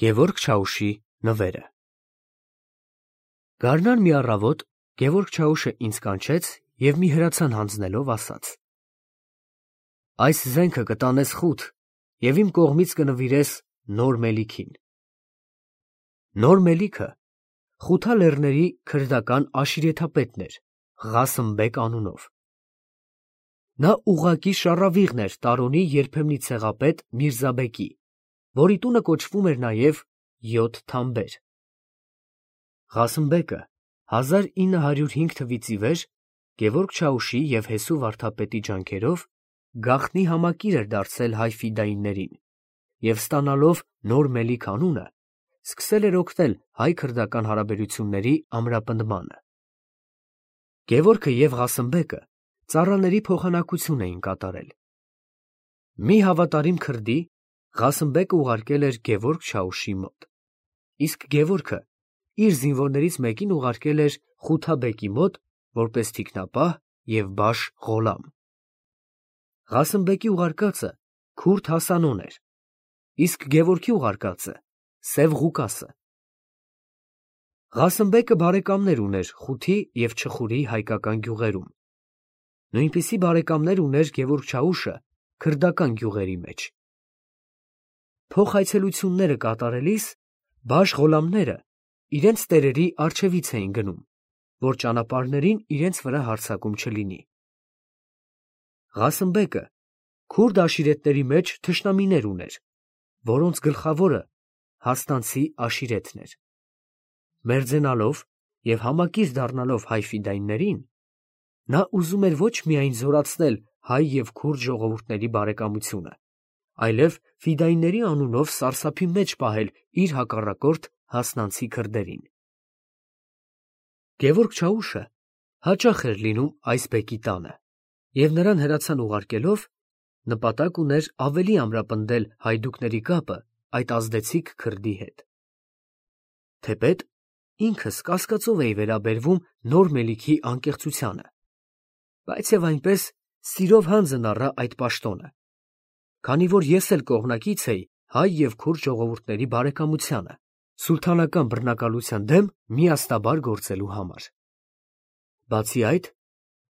Գևորգ Չաուշի նվերը։ Գարնան մի առավոտ Գևորգ Չաուշը ինձ կանչեց և մի հրացան հանձնելով ասաց. «Այս զենքը կտանես խուտ և իմ կողմից կնվիրես Նոր Մելիքին»։ Նոր Մելիքը Խութա լեռների քրդական աշիրեթապետն էր Ղասըմ բեկ անունով։ Նա ուղղակի շառավիղն էր Տարոնի երբեմնի ցեղապետ Միրզաբեկի, որի տունը կոչվում էր նաև Յոթ Թամբեր։ Ղասըմ բեկը 1905 թվականից ի վեր Գևորգ Չաուշի և Հեսու վարդապետի ջանքերով գաղտնի համակիր էր դարձել հայ ֆիդայիններին և ստանալով Նոր Մելիք անունը, սկսել էր օգնել հայ֊քրդական հարաբերությունների ամրապնդմանը։ Գևորգը և Ղասըմ բեկը ծառաների փոխանակություն էին կատարել։ Մի հավատարիմ քրդի Ղասըմ բեկը ուղարկել էր Գևորգ Չաուշի մոտ, իսկ Գևորգը իր զինվորներից մեկին ուղարկել էր Խութա բեկի մոտ որպես թիկնապահ և բաշ Ղոլամ։ Ղասըմ բեկի ուղարկածը քուրդ Հասանոն էր, իսկ Գևորգի ուղարկածը Սև Ղուկասը։ Ղասըմ բեկը բարեկամներ ուներ Խութի և Չխուրի հայկական գյուղերում, նույնպիսի բարեկամներ ուներ Գևորգ Չաուշը քրդական գյուղերի մեջ։ Փոխայցելությունները կատարելիս բաշ Ղոլամները իրենց տերերի առջևից էին գնում, որ ճանապարհներին իրենց վրա հարձակում չլինի։ Ղասըմ բեկը քուրդ աշիրետների մեջ թշնամիներ ուներ, որոնց գլխավորը Հաստանցի աշիրեթն էր։ Մերձենալով և համակիր դառնալով հայ ֆիդայիններին, նա ուզում էր ոչ միայն զորացնել հայ և քուրդ ժողովուրդների բարեկամությունը, այլև ֆիդայինների անունով սարսափի մեջ պահել իր հակառակորդ հասնանցի քրդերին։ Գևորգ Չաուշը հաճախ էր լինում այս բեկի տանը և նրան հրացան ուղարկելով նպատակ ուներ ավելի ամրապնդել հայդուկների կապը այդ ազդեցիկ քրդի հետ։ Թեպետ ինքս կասկածով էի վերաբերվում Նոր Մելիքի անկեղծությանը, բայց և այնպես սիրով հանձն առա այդ պաշտոնը, քանի որ ես էլ կողմնակից էի հայ և քուրդ ժողովուրդների բարեկամությանը սուլթանական բռնակալության դեմ միասնաբար գործելու համար։ Բացի այդ,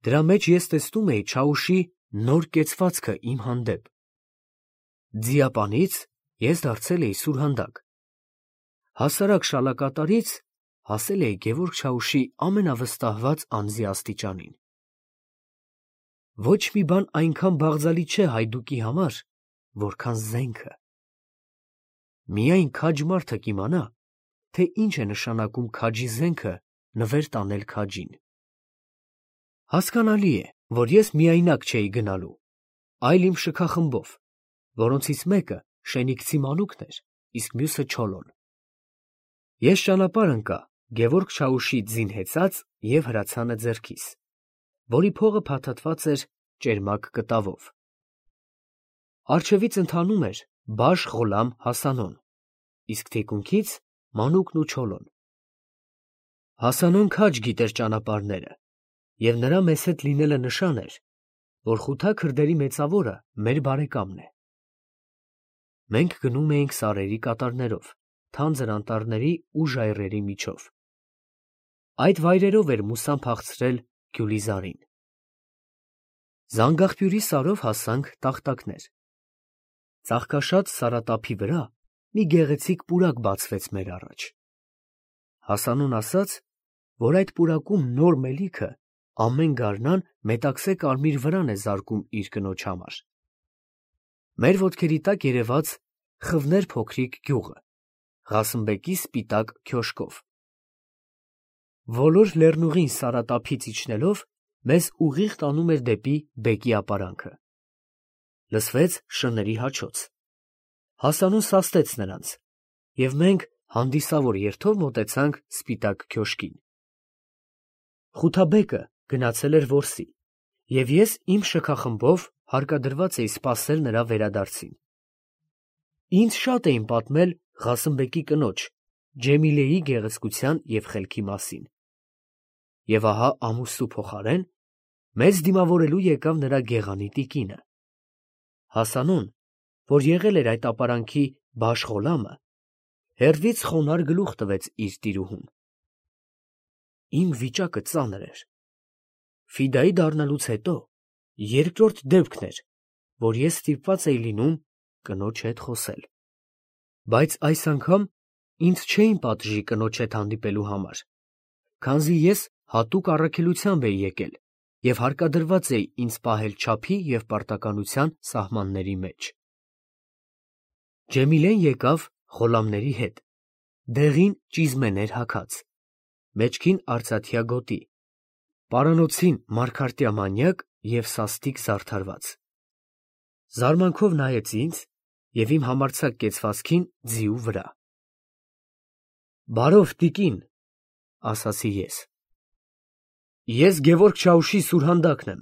դրա մեջ ես տեսնում էի Չաուշի նոր կեցվածքը իմ հանդեպ։ Ձիապանից ես դարձել էի սուրհանդակ, հասարակ շալակատարից հասել էի Գևորգ Չաուշի ամենավստահված անձի աստիճանին։ Ոչ մի բան այնքան բաղձալի չէ հայդուկի համար, որքան զենքը։ Միայն քաջ մարդը կիմանա, թե ինչ է նշանակում քաջի զենքը նվեր տանել քաջին։ Հասկանալի է, որ ես միայնակ չէի գնալու, այլ իմ շքախմբով, որոնցից մեկը Շենիքցի մանուկն էր, իսկ մյուսը Չոլոն։ Ես ճանապարհ ընկա Գևորգ Չաուշի ձին հեծած և հրացանը ձեռքիս, որի փողը փաթաթված էր ճերմակ կտավով։ Առջևից ընթանում էր բաշ Ղոլամ Հասանոն, իսկ թիկունքից մանուկն ու Չոլոն։ Հասանոն քաջ գիտեր ճանապարհները, և նրա մեզ հետ լինելը նշան էր, որ խութա քրդերի մեծավորը մեր բարեկամն է։ Մենք գնում էինք սարերի կատարներով, թանձր անտառների ու ժայռերի միջով։ Այդ վայրերով էր Մուսան փախցրել Գյուլիզարին։ Զանգաղբյուրի սարով հասանք Տախտակներ։ Ծաղկաշատ սարատափի վրա մի գեղեցիկ պուրակ բացվեց մեր առաջ։ Հասանոն ասաց, որ այդ պուրակում Նոր Մելիքը ամեն գարնան մետաքսե կարմիր վրան է զարկում իր կնոջ համար։ Մեր ոտքերի տակ երևաց Խվներ փոքրիկ գյուղը, Ղասըմ բեկի սպիտակ քյոշկով։ Ոլոր լեռնուղին սարատափից իջնելով մեզ ուղիղ տանում էր դեպի բեկի ապարանքը։ Լսվեց շների հաչոց։ Հասանոն սաստեց նրանց, և մենք հանդիսավոր երթով մոտեցանք սպիտակ քյոշկին։ Խութաբեկը գնացել էր որսի, և ես իմ շքախմբով հարկադրված էի սպասել նրա վերադարձին։ Ինձ շատ էին պատմել Ղասըմ բեկի կնոջ Ջեմիլեի գեղեցկության և խելքի մասին։ Եվ ահա ամուսնու փոխարեն մեզ դիմավորելու եկավ նրա գեղանի տիկինը։ Հասանոն, որ եղել էր այդ ապարանքի բաշ Ղոլամը, հեռվից խոնարհ գլուխ տվեց իր տիրուհուն։ Իմ վիճակը ծանր էր։ Ֆիդայի դառնալուց հետո երկրորդ դեպքն էր, որ ես ստիպված էի լինում կնոջ հետ խոսել։ Բայց այս անգամ ինձ չէին պատժի կնոջ հետ հանդիպելու համար, քանզի ես հատուկ առաքելությամբ էի եկել և հարկադրված էի ինձ պահել չափի և պարտականության սահմանների մեջ։ Ջեմիլեն եկավ Ղոլամների հետ, դեղին ճիզմեներ հագած, մեջքին արծաթյա գոտի, պարանոցին մարգարտյա մանյակ և սաստիկ զարդարված։ Զարմանքով նայեց ինձ և իմ համարձակ կեցվածքին ձիու վրա։ «Բարով, տիկին», ասացի ես։ «Ես Գևորգ Չաուշի սուրհանդակն եմ,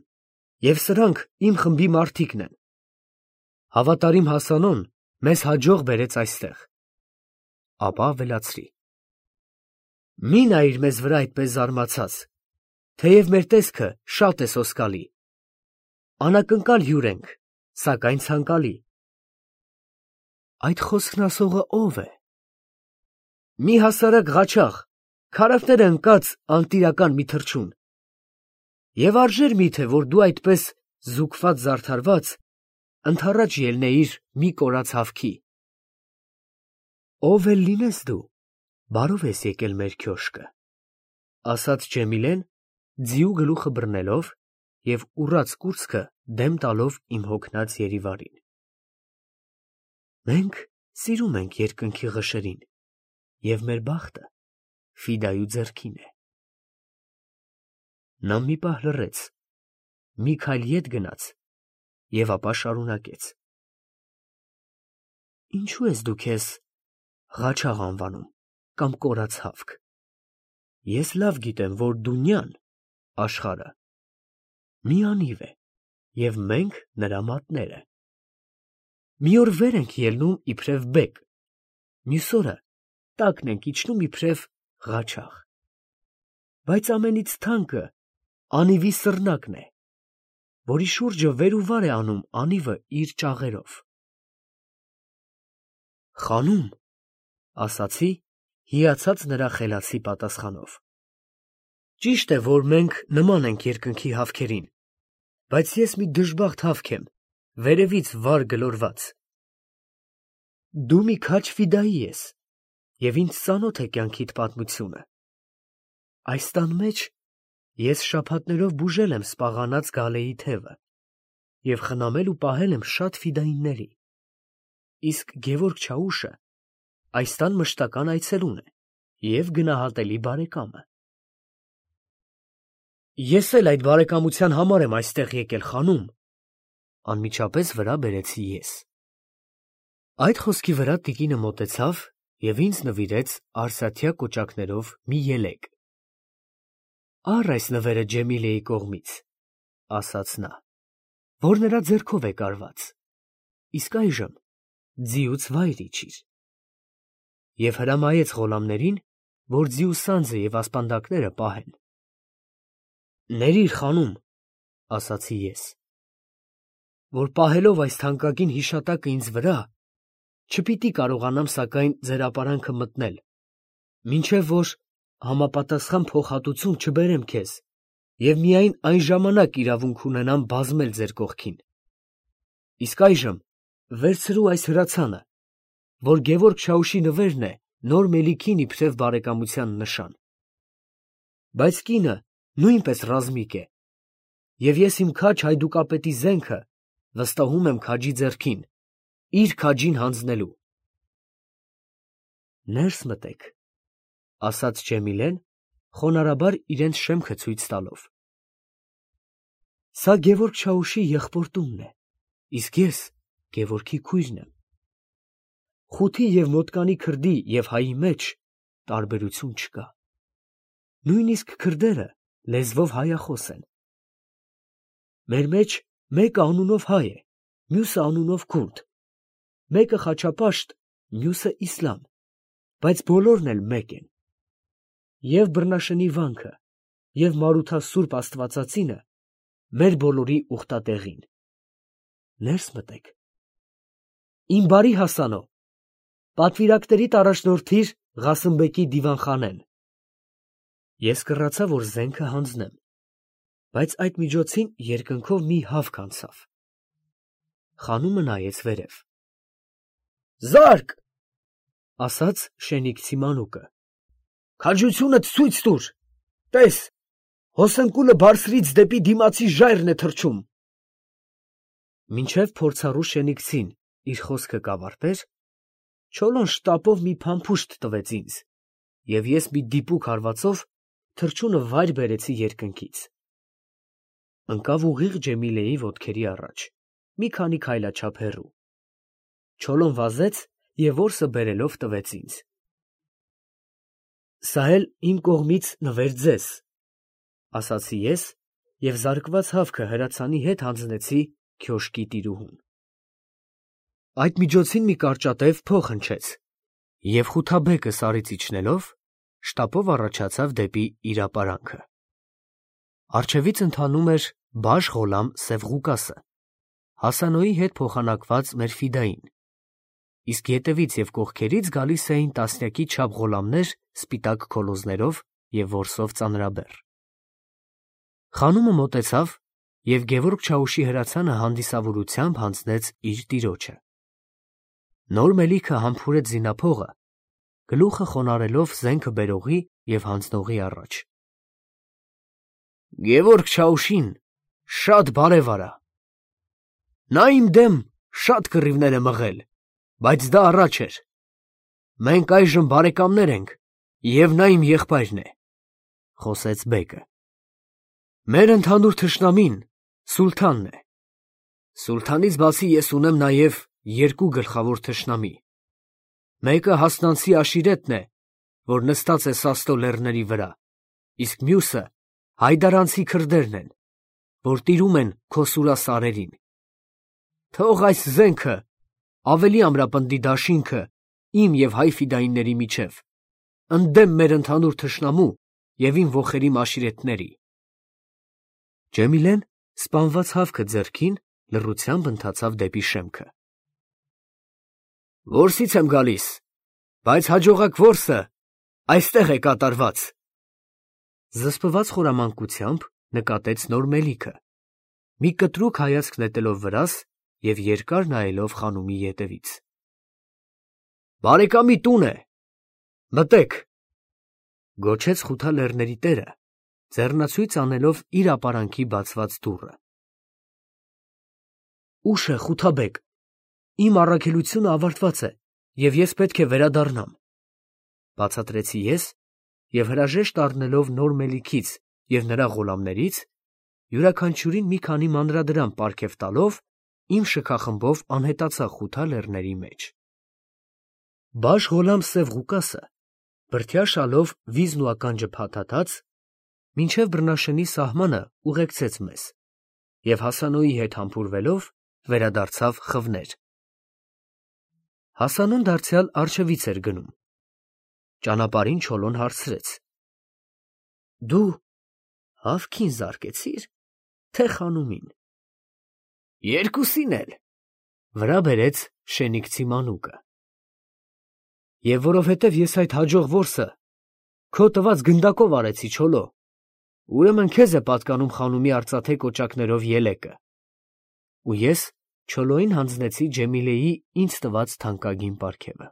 և սրանք իմ խմբի մարդիկն են։ Հավատարիմ Հասանոն մեզ հաջող բերեց այստեղ»։ Ապա ավելացրի. «Մի նայիր մեզ վրա այդպես զարմացած, թեև մեր տեսքը շատ է սոսկալի։ Անակնկալ հյուր ենք, սակայն ցանկալի»։ Այդ խոսքն ասողը ո՞վ է։ «Մի հասարակ ղաչաղ, քարակները ընկած անտիրական մի թռչուն։ Եվ արժեր միթե, որ դու այդպես զուգված ընդառաջ ելնեիր մի կորած հավքի։ Ով էլ լինես դու, բարով ես եկել մեր քյոշկը», ասաց Ջեմիլեն, ձիու գլուխը բռնելով և ուռած կուրծքը դեմ տալով իմ հոգնած Երիվարին։ «Մենք սիրում ենք երկնքի ղշերին, և մեր բախտը Ֆիդայու ձեռքին է»։ Նա մի պահ լռեց, մի քայլ ետ գնաց և ապա շարունակեց. «Ինչո՞ւ ես դու քեզ ղաչաղ անվանում կամ կորած հավք։ Ես լավ գիտեմ, որ Դունյան (աշխարհը) մի անիվ է, և մենք նրա մատները։ Մի օր վեր ենք ելնում իբրև բեկ, մյուս օրը տակն ենք իջնում իբրև ղաչաղ։ Բայց ամենից թանկը անիվի սռնակն է, որի շուրջը վեր ու վար է անում անիվը իր ճաղերով»։ «Խանում», ասացի, հիացած նրա խելացի պատասխանով։ «Ճիշտ է, որ մենք նման ենք երկնքի հավքերին, բայց ես մի դժբախտ հավք եմ, վերևից վար գլորված։ Դու մի քաջ ֆիդայի ես, և ինձ ծանոթ է կյանքիդ պատմությունը։ Այս տան մեջ ես շաբաթներով բուժել եմ սպաղանած Գալեի թևը և խնամել ու պահել եմ շատ ֆիդայինների, իսկ Գևորգ Չաուշը այս տան մշտական այցելուն է և գնահատելի բարեկամը։ Ես էլ այդ բարեկամության համար եմ այստեղ եկել, խանում», անմիջապես վրա բերեցի ես։ Այդ խոսքի վրա տիկինը մոտեցավ և ինձ նվիրեց արծաթյա կոճակներով մի ելեք։ «Առ այս նվերը Ջեմիլեի կողմից», ասաց նա, «որ նրա ձեռքով է կարված, իսկ այժմ ձիուց վայր իջիր»։ Եվ հրամայեց Ղոլամներին, որ ձիու սանձը և ասպանդակները պահեն։ «Ներիր, խանում», ասացի ես, «որ պահելով այս թանկագին հիշատակը ինձ վրա, չպիտի կարողանամ սակայն ձեր ապարանքը մտնել, մինչև որ համապատասխան փոխհատուցում չբերեմ քեզ և միայն այն ժամանակ իրավունք ունենամ բազմել ձեր կողքին։ Իսկ այժմ վերցրու այս հրացանը, որ Գևորգ Չաուշի նվերն է նոր մելիքին իբրև բարեկամության նշան։ Բայց կինը նույնպես ռազմիկ է, և ես իմ քաջ հայդուկապետի զենքը վստահում եմ քաջի ձեռքին, իր քաջին հանձնելու»։ «Ներս մտեք», ասաց Ջեմիլեն, խոնարհաբար իրենց շեմքը ցույց տալով։ «Սա Գևորգ Չաուշի եղբոր տունն է, իսկ ես Գևորգի քույրն եմ։ Խութի և մոտկանի քրդի և հայի մեջ տարբերություն չկա։ Նույնիսկ քրդերը լեզվով հայախոս են։ Մեր մեջ մեկը անունով հայ է, մյուսը անունով քուրդ, մեկը խաչապաշտ, մյուսը իսլամ, բայց բոլորն էլ մեկ են։ Եվ բռնաշնի վանքը, և Մարութասուրբ Աստվածածինը մեր բոլորի ուխտատեղին։ Ներս մտեք։ Իմ բարի Հասանո, Պատվիրակներիդ առաջնորդիր Ղասիմբեկի դիվանխանեն։ Ես կռացա, որ զենքը հանձնեմ, բայց այդ միջոցին երկնքով մի հավք անցավ։ Խանումը նայեց վերև։ Զարկ, ասաց շենիկցի մանուկը։ Քաջությունդ ցույց տուր։ Տես, հոսնկուլը բարձրից դեպի դիմացի ժայռն է թռչում։ Մինչև փորձառու շենիկցին իր խոսքը կավարտեր, Չոլոն շտապով մի փամփուշտ տվեց ինձ, և ես մի դիպուկ հարվածով թռչունը վայր բերեցի երկնքից։ Ընկավ ուղիղ Ջեմիլեի ոտքերի առաջ, մի քանի քայլաչափ հեռու։ Չոլոն վազեց և որսը բերելով տվեց ինձ։ Սա էլ իմ կողմից նվեր ձեզ, ասացի ես և զարկված հավքը հրացանի հետ հանձնեցի քյոշկի տիրուհուն։ Այդ միջոցին մի կարճատև փող հնչեց, և Խութաբեկը սարից իջնելով, շտապով առաջացավ դեպի իր ապարանքը։ Առջևից ընթանում էր Բաշ Ղոլամ Սևղուկասը, Հասանոյի հետ փոխանակված մեր ֆիդային, իսկ ետևից և կողքերից գալիս էին տասնյակի չափ ղոլամներ սպիտակ քոլոզներով և որսով ծանրաբեռ։ Խանումը մոտեցավ, և Գևորգ Չաուշի հրացանը հանդիսավորությամբ հանձնեց իր տիրոջը։ Նոր մելիքը համբուրեց զինափողը, գլուխը խոնարհելով զենքը բերողի և հանձնողի առաջ։ Գևորգ Չաուշին շատ բարև արա։ Նա իմ դեմ շատ կռիվներ է մղել, բայց դա առաջ էր։ Մենք այժմ բարեկամներ ենք, և նա իմ եղբայրն է, խոսեց բեկը։ Մեր ընդհանուր թշնամին սուլթանն է։ Սուլթանից բացի ես ունեմ նաև երկու գլխավոր թշնամի։ Մեկը Հասնանցի Աշիրետն է, որ նստած է Սաստո լեռների վրա, իսկ մյուսը հայդարանցի քրդերն են, որ տիրում են Քոսուրա սարերին։ Թող այս զենքը ավելի ամրապնդի դաշինքը իմ և հայ ֆիդայինների միջև, ընդդեմ մեր ընդհանուր թշնամու և իմ ոխերիմ աշիրետների։ Ջեմիլեն սպանված հավքը ձեռքին լռությամբ ընթացավ դեպի շեմքը։ Որսից եմ գալիս, բայց հաջողակ որսը այստեղ է կատարված։ Զսպված խորամանկությամբ նկատեց նոր մելիքը, մի կտրուկ հայացք նետելով վրաս և երկար նայելով խանումի ետևից։ Բարեկամի տուն է, մտեք, գոչեց Խութա լեռների տերը, ձեռնացույց անելով իր ապարանքի բացված դուռը։ Ուշ է, Խութաբեկ, իմ առաքելությունը ավարտված է, և ես պետք է վերադառնամ, բացատրեցի ես և հրաժեշտ առնելով նոր մելիքից և նրա ղոլամներից, յուրաքանչյուրին մի քանի մանրադրամ պարգև տալով, իմ շքախմբով անհետացա Խութա լեռների մեջ։ Բաշ Ղոլամ Սևղուկասը բրդյա շալով վիզն ու ականջը փաթաթած, մինչև բռնաշնի սահմանը ուղեկցեց մեզ և Հասանոյի հետ համբուրվելով վերադարձավ խվներ։ Հասանուն դարձյալ առջևից էր գնում։ Ճանապարհին Չոլոն հարցրեց. Դու հավքին զարկեցի՞ր, թե խանումին։ Երկուսին էլ, վրա բերեց շենիկցի մանուկը։ Եվ որովհետև ես այդ հաջող որսը քո տված գնդակով արեցի, Չոլո, ուրեմն քեզ է պատկանում խանումի արծաթե կոճակներով ելեկը։ Ու ես Չոլոյին հանձնեցի Ջեմիլեի ինձ տված թանկագին պարգևը։